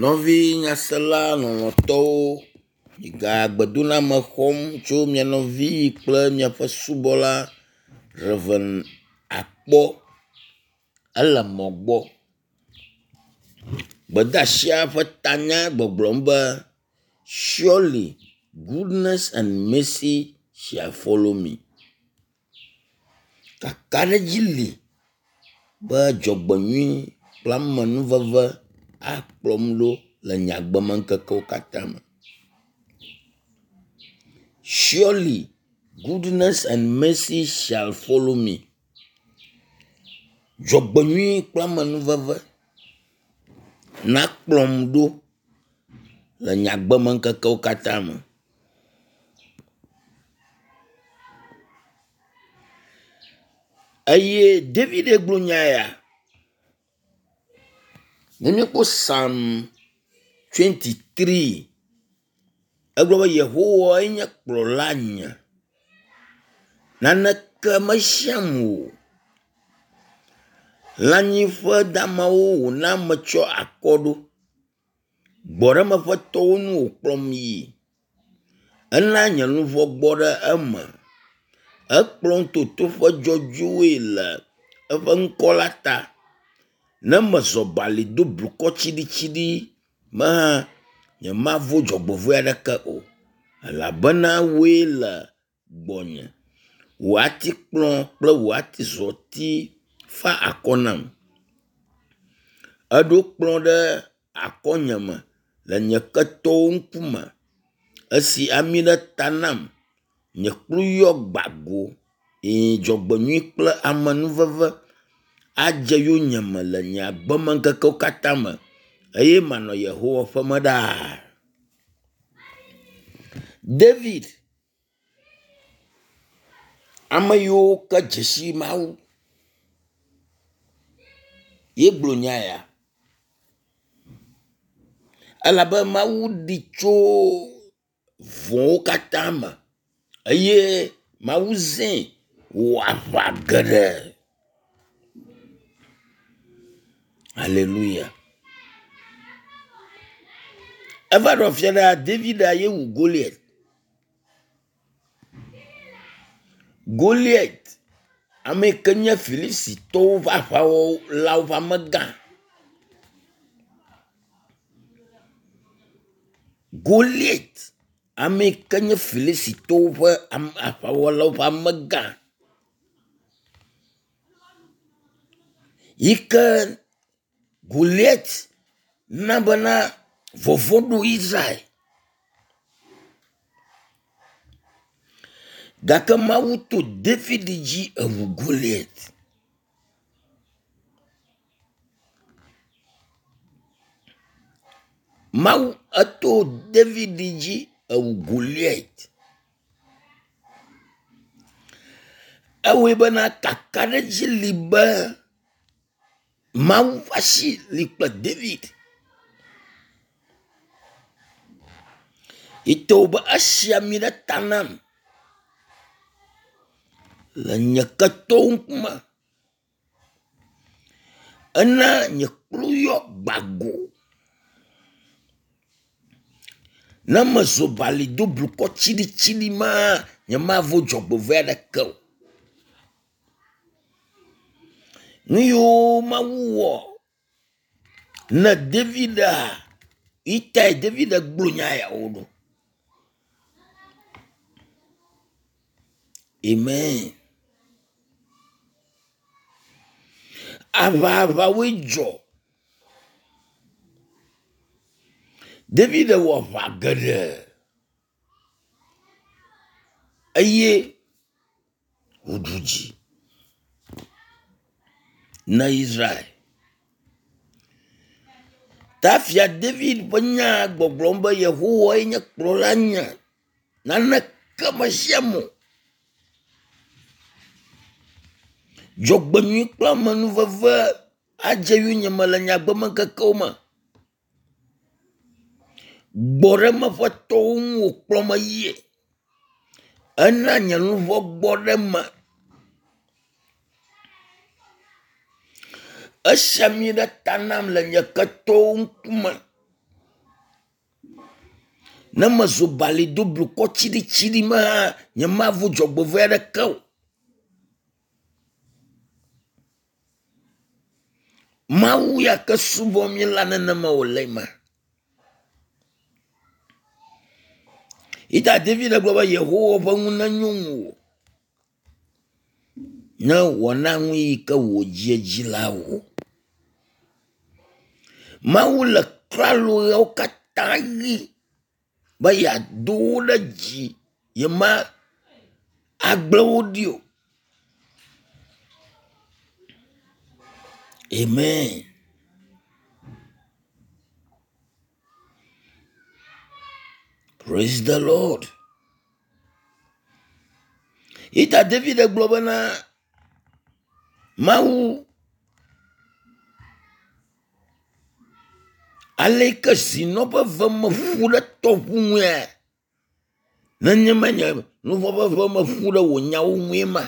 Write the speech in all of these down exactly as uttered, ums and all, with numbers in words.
Nɔvi nyasela lɔlɔ̃tɔwo, miga gbedoname xɔm tso mia nɔvi kple miaƒe subɔla Rev. Akpɔ ele mɔ gbɔ. Gbedeasia ƒe tanya gbɔgblɔm be surely goodness and mercy shall follow me. Kakaɖedzi li be dzɔgbenyui kple amenuveve akplɔm ɖo le nye agbemeŋkekewo katã me. Surely goodness and mercy shall follow me. Dzɔgbenyui kple amenuveve nakplɔm ɖo le nye agbemeŋkekewo katã me. Eye David gblɔ nya ya. Ne míekpɔ Psalm twenty-three, egblɔ be Yehowae nye kplɔla nye. Naneke mehiam o. Lãnyiƒe damawo wòna metsɔ akɔ ɖo. Gbɔɖeme ƒe tɔwo nu wòkplɔm yi. Ena nye luʋɔ gbɔ ɖe eme. Ekplɔm to toƒe dzɔdzɔewoe le eƒe ŋkɔ la ta. Ne mezɔ bali do blukɔ tsiɖitsiɖi me hã, nyemavo dzɔgbevɔ̃e aɖeke o elabena wòe le gbɔnye. Wò atikplɔ kple wò atizɔti fa akɔ nam. Èɖo kplɔ ɖe akɔnyeme le nye ketɔwo ŋkume. Esi ami ɖe ta nam. Nye kplu yɔ gba go. Ɛ̃ dzɔgbenyui kple amenuveve adze yonyeme le nye agbemeŋkekewo katã me eye manɔ Yehowa ƒeme ɖaa. David, ame yiwo ke dze si Mawu ye gblɔ nya ya elabe Mawu ɖee tso vɔ̃wo katã me eye Mawu zãe wòwɔ aʋa geɖe. Aleluya. Eva ɖo afi aɖea, David ye wu Goliat. Goliat, ame yi ke nye Filistitɔwo ƒe aʋawɔlawo ƒe amegã. Goliat, ame yi ke nye Filistitɔwo ƒe aʋawɔlawo ƒe amegã yi ke Goliat na bena vɔvɔ̃ ɖo Israel. Gake Mawu to David dzi ewu Goliat. Mawu eto David dzi ewu Goliat. Ewɔe bena kakaɖedzi li be Mawu ƒe asi li kple David. Yi to be esi ami ɖe ta nam le nye ketɔwo ŋkume. Ena nye kplu yɔ gba go. Ne mezɔ bali do blukɔ tsiɖitsiɖi maa, nyemavo dzɔgbevɔ̃e aɖeke o. Nu yiwo Mawu wɔ ne Davidaa, yi tae David gblɔ nya yawo ɖo. Amen. Aʋaʋawoe dzɔ. David wɔ aʋa geɖe eye wòɖu dzi na Israel. Ta fia David ƒe nya gbɔgblɔm be Yehowae nye kplɔla nye. Naneke mehiam o. Dzɔgbenyui kple amenuveve adze yonyeme le nye agbemeŋkekewo me. Gbɔɖeme ƒe tɔwo ŋu wòkplɔm yie. Ena nye luʋɔ gbɔ ɖe eme. Esi ami ɖe ta nam le nye ketɔwo ŋkume. Ne mezo bali do blukɔ tsiɖitsiɖi me hã, nyemavo dzɔgbevɔe aɖeke o. Mawu ya ke subɔm míele nenema wòle ma. Yi ta David gblɔ be Yehowa ƒe nu nenyo ŋuwò ne wòana nu yi ke wò dzi dzi la wò. Mawu le klalo ɣeawo katã ɣi be yeado wo ɖe dzi, yema agblẽ wo ɖi o. Amen. Praise the Lord. Yi ta David gblɔ bena Mawu aleke zinɔ ƒe ve me ƒu ɖe tɔʋu ŋue nenema nye luʋɔ ƒe ve me ƒu ɖe wò nyawo ŋue ma.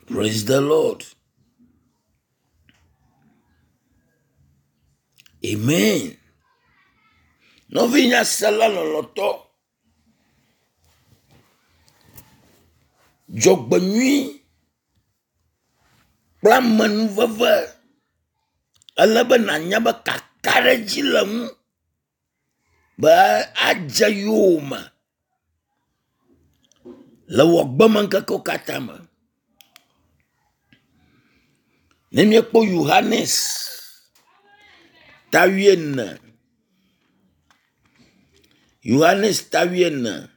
Praise the Lord. Amen. Nɔvinyasela lɔlɔ̃tɔ, dzɔgbenyui kple amenuveve ele be nànya be kakaɖedzi le ŋu be adze yowòme le wò agbemeŋkekewo katã me. Ne míekpɔ Yohanes ta wuiene, Yohanes ta wuiene,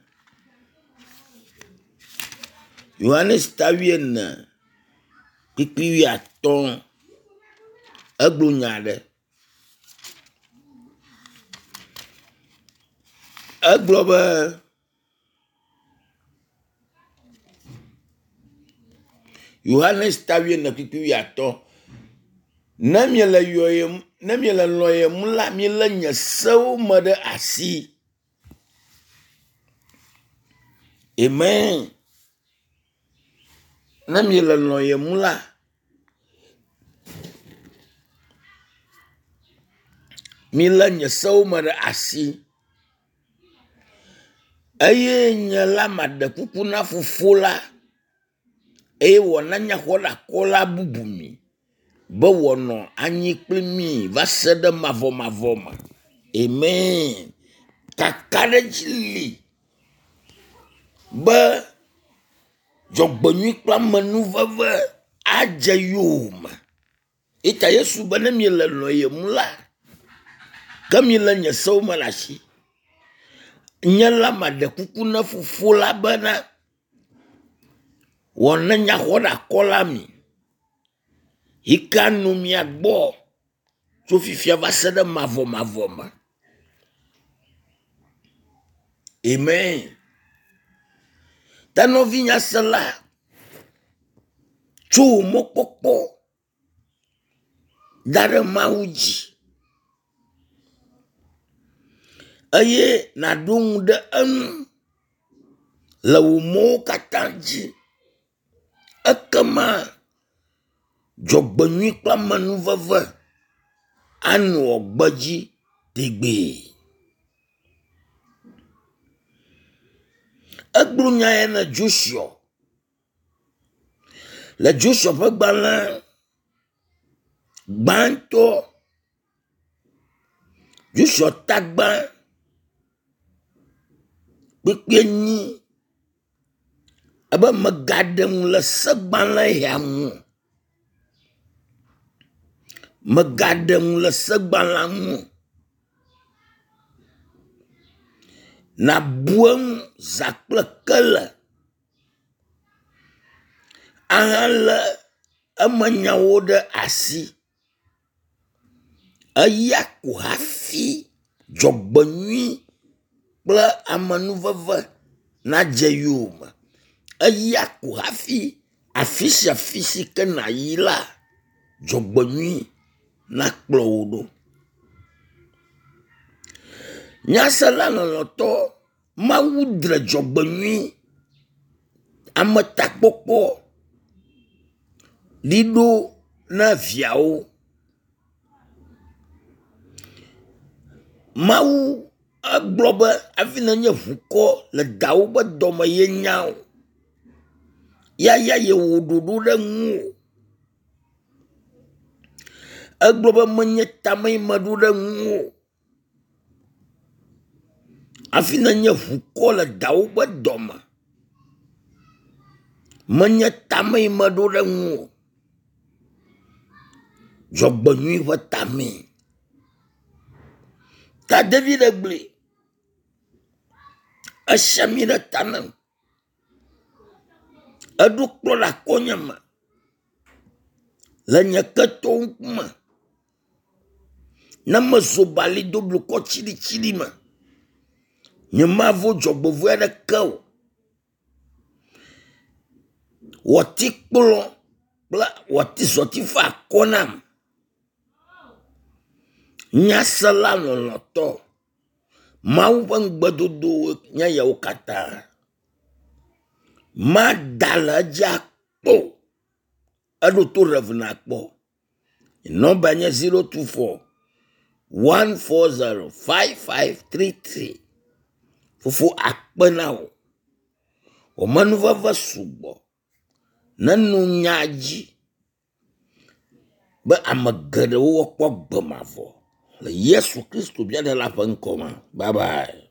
Yohanes ta wuiene kpukpui wuiatɔ̃ egblɔ nya aɖe. Egblɔ be Yohanes ta wuiene kpukpui wuiatɔ̃ ne miele yɔyem ne miele lɔ̃yem la milé nye sewo me ɖe asi. Amen. Ne miele lɔ̃yem la, milé nye sewo me ɖe asi. Eye nye la maɖe kuku na fofo la eye wòana nyaxɔɖeakɔla bubu mi be wòanɔ anyi kpli mi va se ɖe mavɔmavɔ me. Amen. Kakaɖedzi li be dzɔgbenyui kple amenuveve adze yowòme. Yi ta Yesu be ne miele lɔ̃yem la, ke milé nye sewo me ɖe asi. Nye la maɖe kuku na fofo la bena wòana nyaxɔɖeakɔla mi yi ke anɔ mia gbɔ tso fifia va se ɖe mavɔmavɔ me. Amen. Ta nɔvinyasela, tso wò mɔkpɔkpɔ da ɖe Mawu dzi eye nàɖo ŋu ɖe eŋu le wò mɔwo katã dzi. Ekema dzɔgbenyui kple amenuveve anɔ gbedzi tegbee. Egblɔ nya ya na Joshua le Joshua ƒe gbalẽ gbãtɔ, Joshua ta gbã kpukpui enyi ebe mègaɖe ŋu le segbalẽ ya ŋu o. Mègaɖe ŋu le segbalẽa ŋu o. Nàbu eŋu zã kple kele ahalé emenyawo ɖe asi. Eya ko hafi dzɔgbenyui kple amenuveve nadze yowòme. Eya ko hafi afi sia afi si ke nàyi la, dzɔgbenyui nakplɔ wò ɖo. Nyasela lɔlɔ̃tɔ, Mawu dre dzɔgbenyui, ametakpɔkpɔ ɖi ɖo na viawo. Mawu egblɔ be hafi nenye ʋukɔ le dawo ƒe dɔme ye nya wò. Ya ya yewɔ ɖoɖo ɖe ŋuwò. Egblɔ be menye tame yi meɖo ɖe ŋuwò. Hafi nenye ʋukɔ le dawo ƒe dɔme. Menye tame yi meɖo ɖe ŋuwò. Dzɔgbenyui ƒe tamee. Ta David gblɔe. Esi ami ɖe ta nam. Eɖo kplɔ ɖe akɔnye me le nye ketɔwo ŋkume. Ne mezo bali do blukɔ tsiɖitsiɖi me, nyemavo dzɔgbevɔe aɖeke o. Wɔtikplɔ kple wɔtizɔti fa akɔ nam. Nyasela lɔlɔ̃tɔ, Mawu ƒe ŋugbedodowo nye yawo katã. Mada le edzi akpɔ o. Eɖo to Rev nakpɔ. Nɔmba nye zero two four one four zero five five three three. Fofo akpe na wò. Wò menuveve sugbɔ. Neno nya dzi be ame geɖewo woakpɔ agbe mavɔ le Yesu Kristo mía Ɖela ƒe ŋkɔ me. Bye bye.